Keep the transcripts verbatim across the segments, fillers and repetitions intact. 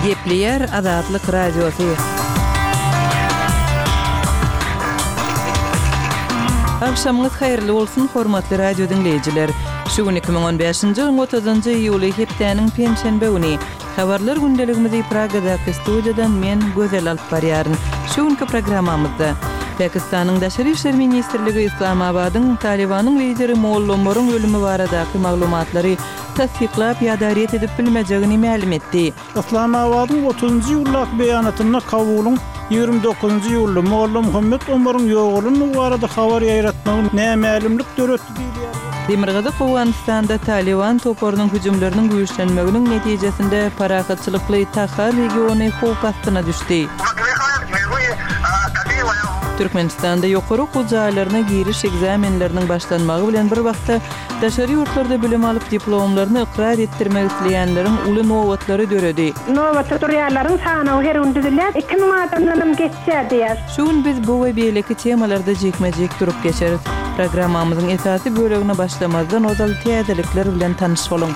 Gepleýär Azatlyk Radiosy. Agşamyňyz haýyrly bolsun, hormatly radio diňleýjiler. Şu gün iki müň on bäşinji ýylyň otuzynjy iýuly, hepdäniň penşenbe güni. Habarlar gündeligimizi Pragadaky studiýadan men, Gözel alyp barýaryn. Şu günki programmamyzda Pakistanyň Daşary işler ministrligi Yslamabadyň Talybanyň lideri Molla Omaryň ölümi baradaky maglumatlary tassyklap ýa-da ret edip bilmejegini mälim etdi. Yslamabadyň otuzynjy iýuldaky beýanatynda Kabulyň ýigrimi dokuzynjy iýulda Molla Muhammet Omaryň ýogalandygy barada habar ýaýratmagy nämälimlik döretdi diýilýär. Demirgazyk Owganystanda Talyban toparynyň hüjümleriniň güýçlenmeginiň netijesinde parahatçylykly Tahar regiony howp astyna düşdi. Türkmenistanda ýokary okuw jaýlaryna giriş ekzamenleriniň başlanmagy bilen bir wagtda daşary ýurtlarda bilim alyp diplomlaryny ykrar etdirmek isleýänleriň uly nobatlary döredi. Nobata durýanlaryň sanawy her gün düzülýär. Iki müň adamdan hem geçýär diýýär. Şu gün biz bu we beýleki temalarda jikme-jik durup geçeris. Programmamyzyň esasy bölegine başlamazdan ozal täzelikler bilen tanyş boluň.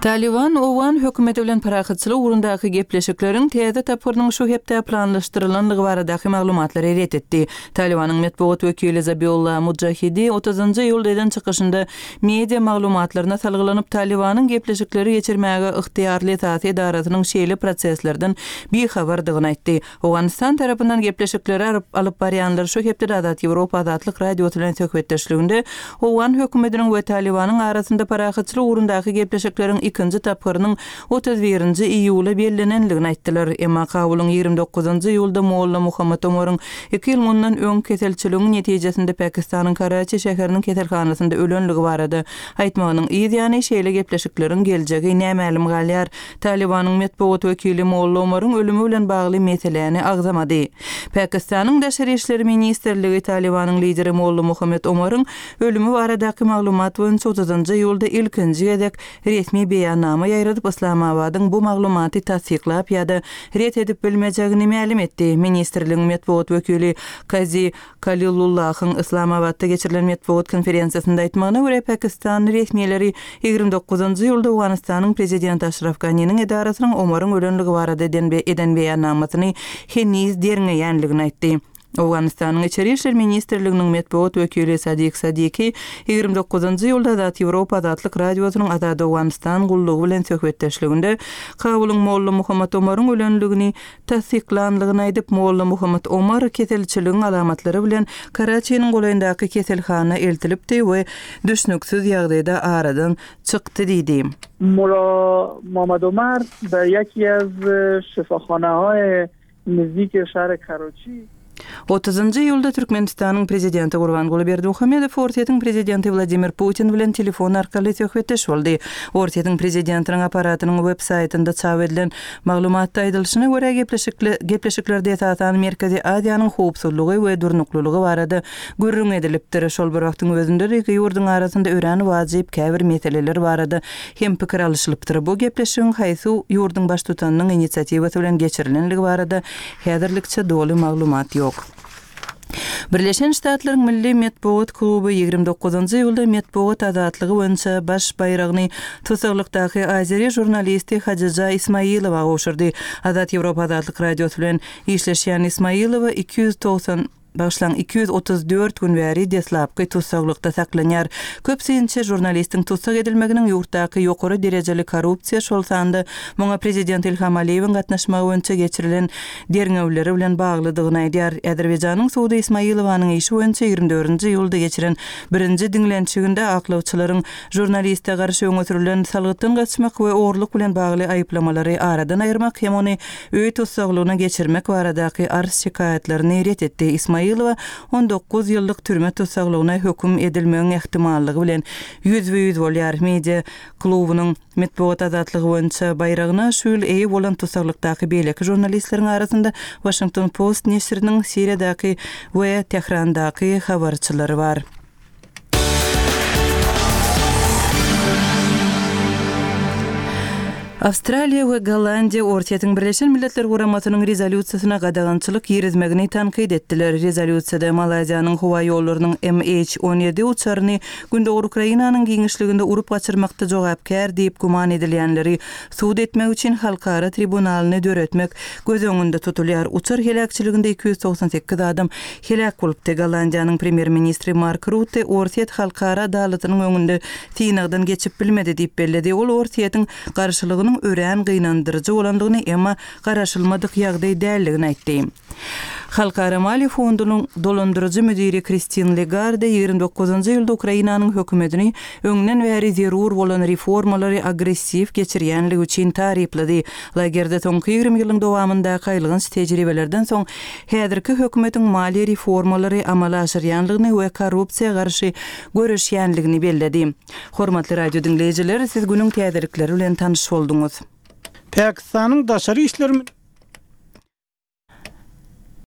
Taliban Owgan hökümeti bilen parahatçylyk ugrundaky gepleşikleriň täze tapgyrynyň şu hepde planlaşdyrylandygy baradaky maglumatlary ret etdi. Talibanyň metbugat wekili Zabiullah Mujahidi otuzynjy iýulda eden çykyşynda media maglumatlaryna salgylanyp, Talibanyň gepleşikleri geçirmäge ygtyýarly esasy edarasynyň şeýle proseslerden bihabardygyny aýtdy. Owganystan tarapyndan gepleşikleri alyp barýanlar şu hepdede Azat Ýewropa Azatlyk Radiosy bilen söhbetdeşliginde Owgan hökümetiniň we Talibanyň arasynda parahatçylyk ugrundaky gepleşikleriň ikinji tapgyrynyň otuz birinji iýula bellenenligini aýtdylar. Emma Kabulyň ýigrimi dokuzynjy iýulda Molla Muhammet Omaryň iki ýyl mundan öň keselçiligiň netijesinde Pakistanyň Karaçi şäheriniň keselhanasynda ölenligi barada aýtmagynyň yz ýany şeýle gepleşikleriň geljegi nämälim galýar. Talibanyň metbugat wekili Molla Omaryň ölümi bilen bagly meseläni agzamady. Pakistanyň Daşary işler ministrligi Talibanyň lideri Molla Muhammet Omaryň ölümi baradaky maglumat boýunça otuzynjy iýulda ilkinji gezek resmi beýannama ýaýradyp, Yslamabadyň bu maglumaty tassyklap ýa-da ret edip bilmejegini mälim etdi. Ministrligiň metbugat wekili Kazi Kalilullahyň Yslamabatda geçirilen metbugat konferensiýasynda aýtmagyna görä, Pakistan resmileri ýigrimi dokuzynjy iýulda Owganystanyň prezidenti Aşraf Ganiniň edarasynyň Omaryň ölenligi barada eden be-, eden beýannamasyny heniz derňeýänligini aýtdy. Owganystanyň Içeri işler ministrliginiň metbugat wekili Sadik Sadiki ýigrimi dokuzynjy iýulda Azat Ýewropa Azatlyk Radiosynyň Azat Owganystan gullugy bilen söhbetdeşliginde Kabulyň Molla Muhammet Omaryň ölenligini tassyklanlygyny aýdyp, Molla Muhammet Omar keselçiligiň alamatlary bilen Karaçiniň golaýyndaky keselhana eltilipdi we düşnüksiz ýagdaýda aradan çykdy diýdi. Molla Muhammed Omar be yeki az şifaxanahay nizdik şäher Karaçi Otuzynjy iýulda Türkmenistanyň prezidenti Gurbanguly Berdimuhamedow Orsýetiň prezidenti Wladimir Putin bilen telefon arkaly söhbetdeş boldy. Orsýetiň prezidentiniň apparatynyň web saýtynda çap edilen maglumatda aýdylyşyna görä gepleşikle-, gepleşiklerde esasan Merkezi Aziýanyň howpsuzlygy we durnuklylygy barada gürrüň edilipdir. Şol bir wagtyň özünde iki ýurduň arasynda örän wajyp käbir meseleler barada hem pikir alyşylypdyr. Bu gepleşigiň haýsy ýurduň baştutanynyň inisiatiwasy bilen geçirilenligi barada häzirlikçe doly maglumat ýok. Birleşen Ştatlaryň Milli Metbugat kluby ýigrimi dokuzynjy iýulda metbugat azatlygy boýunça baş baýragyny tussaglyk Azeri žurnalisti Hajiza Ismailowa gowşurdy. Azat Ýewropa Azatlyk Radiosy bilen işleşýän Ismailowa iki ýüz togsan Başlan iki ýüz otuz dört gün bäri deslapky tussaglykda saklanýar. Köp synçy žurnalistiň tussag edilmeginiň ýurtdaky ýokary derejeli korrupsiýa, şol sanda muňa prezident Ilham Aliýewiň gatnaşmagy boýunça geçirilen derňewleri bilen baglydygyny aýdýar. Azerbaýjanyň sudy Ismailowanyň işi boýunça ýigrimi dördünji iýulda geçiren birinji diňlenişiginde aklawçylaryň žurnaliste garşy öňe sürülen salgytdan gaçmak we ogurlyk bilen bagly aýyplamalary aradan aýyrmak hem ony öý tussaglygyna geçirmek baradaky arz şikaýatlaryny ret etdi. Ismail Ismailowa on dokuz ýyllyk türme tussaglygyna höküm edilmegiň ähtimallygy bilen ýüzbe-ýüz bolýar. Media klubunyň metbugat azatlygy boýunça baýragyna şu ýyl eýe bolan tussaglykdaky beýleki žurnalistleriň arasynda Washington Post neşiriniň Siriýadaky we Tährandaky habarçylary bar. Awstraliýa we Gollandiýa Orsýetiň Birleşen Milletler Guramasynyň rezolýusiýasyna gadagançylyk girizmegini tankyt etdiler. Rezolýusiýada Malaýziýanyň howa ýollarynyň M H on ýedi uçaryny Gündogar Ukrainanyň giňişliginde urup gaçyrmakda jogapkär diýip güman edilýänleri sud etmek üçin halkara tribunalyny döretmek göz öňünde tutulýar. Uçar heläkçiliginde iki ýüz togsan sekiz adam heläk bolupdy. Gollandiýanyň premýer-ministri Mark Rutte Orsýet halkara adalatynyň öňünde synagdan geçip bilmedi diýip belledi. Ol Orsýetiň garşylygynyň örän gynandyryjy bolandygyny, emma garaşylmadyk ýagdaý däldigini aýtdy. Halkara Maliýe fondunyň dolandyryjy müdiri Kristin Lagarde ýigrimi dokuzynjy ýylda Ukrainanyň hökümetini öňden bäri zerur bolan reformalary agressiw geçirýänligi üçin taryplady. Lagarde soňky ýigrimi ýylyň dowamyndaky aýylganç tejribelerden soň häzirki hökümetiň maliýe reformalary amala aşyrýanlygyny we korrupsiýa garşy göreşýänligini belledi. Hormatly radio diňleýjiler, siz günüň täzelikleri bilen tanyş bolduňyz. Pakistanyň daşary işler